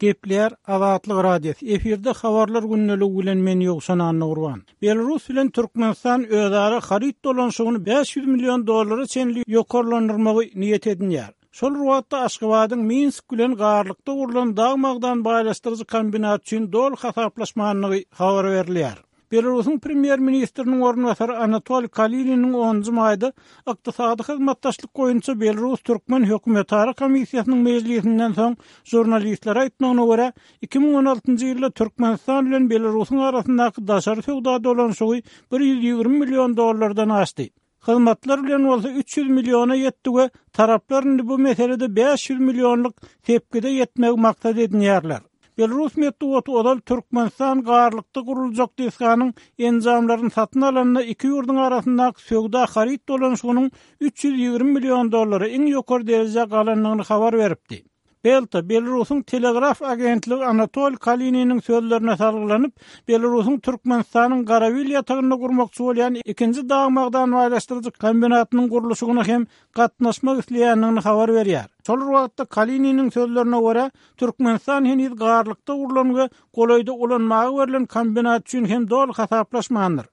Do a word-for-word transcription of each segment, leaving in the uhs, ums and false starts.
Gepleýär Azatlyk Radiosy. Efirde habarlar gündeligi bilen men Ýowşan Annagurban. Belarus bilen Türkmenistan özara haryt dolanyşygyny bäş ýüz million dollara çenli ýokarlandyrmagy niýet edinýär. Şol bir wagtda Aşgabadyň Minsk bilen Garlykda gurlan dag-magdan baýlaşdyryjy kombinat üçin doly hasaplaşmandygy habar berilýär. Belarusyň premýer-ministriniň orunbasary Anatoliý Kalininiň onunjy maýda Ykdysady hyzmatdaşlyk boýunça Belarus-türkmen hökümetara komissiýasynyň mejlisinden soň žurnalistlere aýtmagyna görä, iki müň on altynjy ýylda Türkmenistan bilen Belarusyň arasyndaky daşary söwda dolanyşygy bir ýüz ýigrimi million dollardan aşdy. Hyzmatlar bilen bolsa üç ýüz milliona ýetdi we taraplar indi bu meselede bäş ýüz millionlyk sepgide ýetmegi maksat edinýärler. Belarus metbugaty ozal Türkmenistan Garlykda guruljak desganyň enjamlaryny satyn alanda iki ýurduň arasyndaky söwda haryt dolanyşygynyň üç ýüz ýigrimi million dollara iň ýokary derejä galandygyny habar beripdi. Belta, Belarusyň telegraf agentligi Anatoliý Kalininiň sözlerine salgylanyp, Belarusyň Türkmenistanyň Garabil ýatagynda gurmakçy bolýan ikinji dag-magdan baýlaşdyryjy kombinatynyň gurluşygyna hem gatnaşmak isleýändigini habar berýär. Şol bir wagtda Kalininiň sözlerine görä, Türkmenistan heniz Garlykda gurlan we golaýda ulanmaga berlen kombinat üçin hem doly hasaplaşmandyr.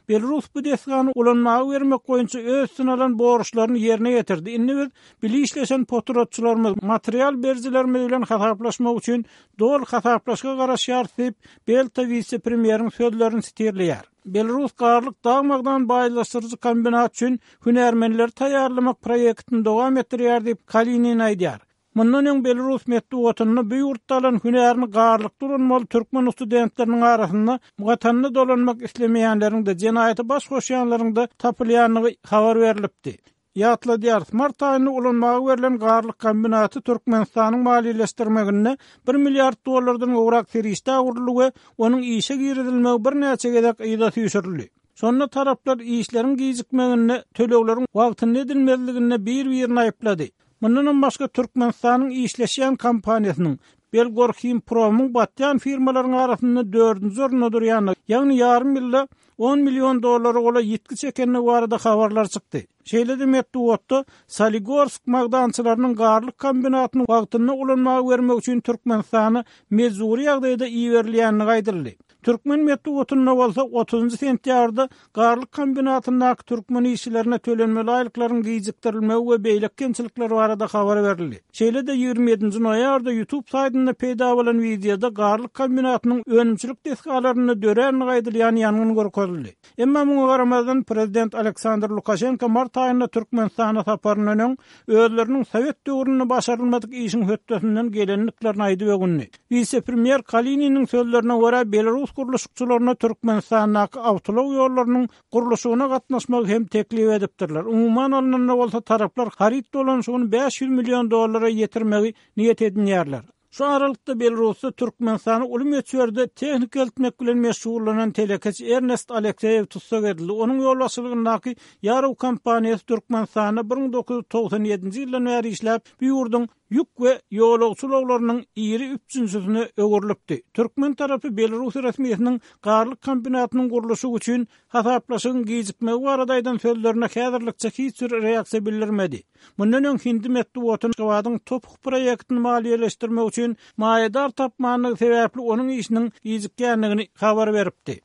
Belarus bu desgany ulanmaga bermek boýunça öz üstüne alan borçlaryny ýerine ýetirdi. Indi biz bile işleşen potratçylarymyz, material berijilerimiz bilen hasaplaşmak üçin doly hasaplaşyga garaşýarys diýip, Belta wise-premýeriň sözlerini sitirleýär. Belarus Garlyk dag-magdan baýlaşdyryjy kombinat üçin hünärmenleri taýýarlamak proýektini dowam etdirýär diýip, Kalinin aýdýar. Mundan öň Belarus metbugatynda bu ýurtda alan hünärini Garlykda ulanmaly türkmen studentleriniň arasynda watanyna dolanmak islemeýänleriň-de, jenaýata baş goşýanlaryň-da tapylýandygy habar berlipdi. Ýatladýarys, mart aýynda ulanmaga berlen Garlyk kombinaty Türkmenistanyň maliýeleşdirmeginde bir milliard dollardan gowrak serişdä guruldy we onuň işe girizilmegi birnäçe gezek yza süýşürildi. Şonda taraplar işleriň gijikmeginde, tölegleriň wagtynda edilmezliginde bir-birini aýyplady. Mundanam başga Türkmenistanyň işleşýän kompaniýasynyň Belgorhimpromyň batýan firmalaryň arasynda dördünji orunda durýandygy, ýagny ýarym ýylda on million dollara golaý ýitgi çekendigi barada habarlar çykdy. Şeýle-de metbugatda Soligorsk magdançylarynyň Garlyk kombinatyny wagtynda ulanmaga bermek üçin Türkmenistana mejbury ýagdaýda iberilýändigi aýdyldy. Türkmen metbugatynda bolsa otuzynjy sentýabrda Garlyk kombinatyndaky türkmen işçilerine tölenmeli aýlyklaryň gijikdirilmegi we beýleki kemçilikler barada habar berildi. Şeýle-de ýigrimi ýedinji noýabrda YouTube saýtynda peýda bolan wideoda Garlyk kombinatynyň önümçilik desgalarynda döränligi aýdylýan ýangyn görkezildi. Emma muňa garamazdan prezident Aleksandr Lukaşenko mart aýynda Türkmenistana saparyndan öň özleriniň sowet döwründe başarylmadyk işiň hötdesinden gelendiklerini aýdyp öwündi. Wise-premýer Kalininiň sözlerine görä, Belarus gurluşykçylaryna Türkmenistandaky awtoulag ýollarynyň gurluşygyna gatnaşmagy hem teklip edipdirler. Umuman alnanda bolsa taraplar haryt dolanyşygyny bäş ýüz million dollara ýetirmegi niýet edinýärler. Şu aralykda Belarusda Türkmenistana uly möçberde tehnika eltmek bilen meşgullanan telekeçi Ernest Alekseýew tussag edildi. Onuň ýolbaşçylygyndaky Ýarow kompaniýasy Türkmenistanda bir müň dokuz ýüz togsan ýedinji ýyldan bäri işläp, bu ýurduň ýük we ýolagçy ulaglarynyň iri üpjünçisine öwrülipdi. Türkmen tarapy Belarus resmisiniň Garlyk kombinatynyň gurluşygy üçin hasaplaşygyň gijikmegi barada aýdan sözlerine häzirlikçe hiç bir reaksiýa bildirmedi. Mundan öň hindi metbugaty Aşgabadyň Topuk proýektini maliýeleşdirmek üçin maýadar tapmandygy sebäpli onuň işiniň gijikýändigini habar beripdi.